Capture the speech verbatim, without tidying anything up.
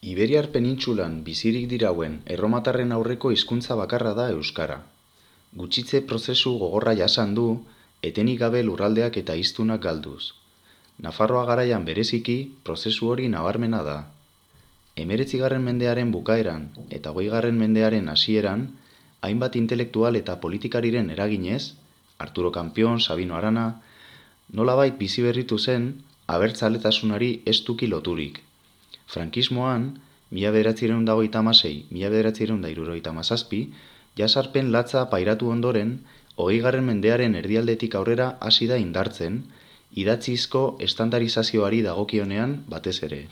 Iberiar penintsulan bizirik dirauen erromatarren aurreko hizkuntza bakarra da euskara. Gutxitze prozesu gogorra jasan du, etenik gabe lurraldeak eta hiztunak galduz. Nafarroa garaian bereziki, prozesu hori nabarmena da. Hemeretzigarren mendearen bukaeran eta hogeigarren mendearen hasieran, hainbat intelektual eta politikariren eraginez, Arturo Kampion, Sabino Arana, nolabait bizi berritu zen, abertzaletasunari estuki loturik. Frankismoan, mila bederatziehun eta hogeita hamasei mila bederatziehun eta hirurogeita hamazazpi, jasarpen latza pairatu ondoren, hogeigarren mendearen erdialdetik aurrera hasi da indartzen, idatzizko estandarizazioari dagokionean batez ere.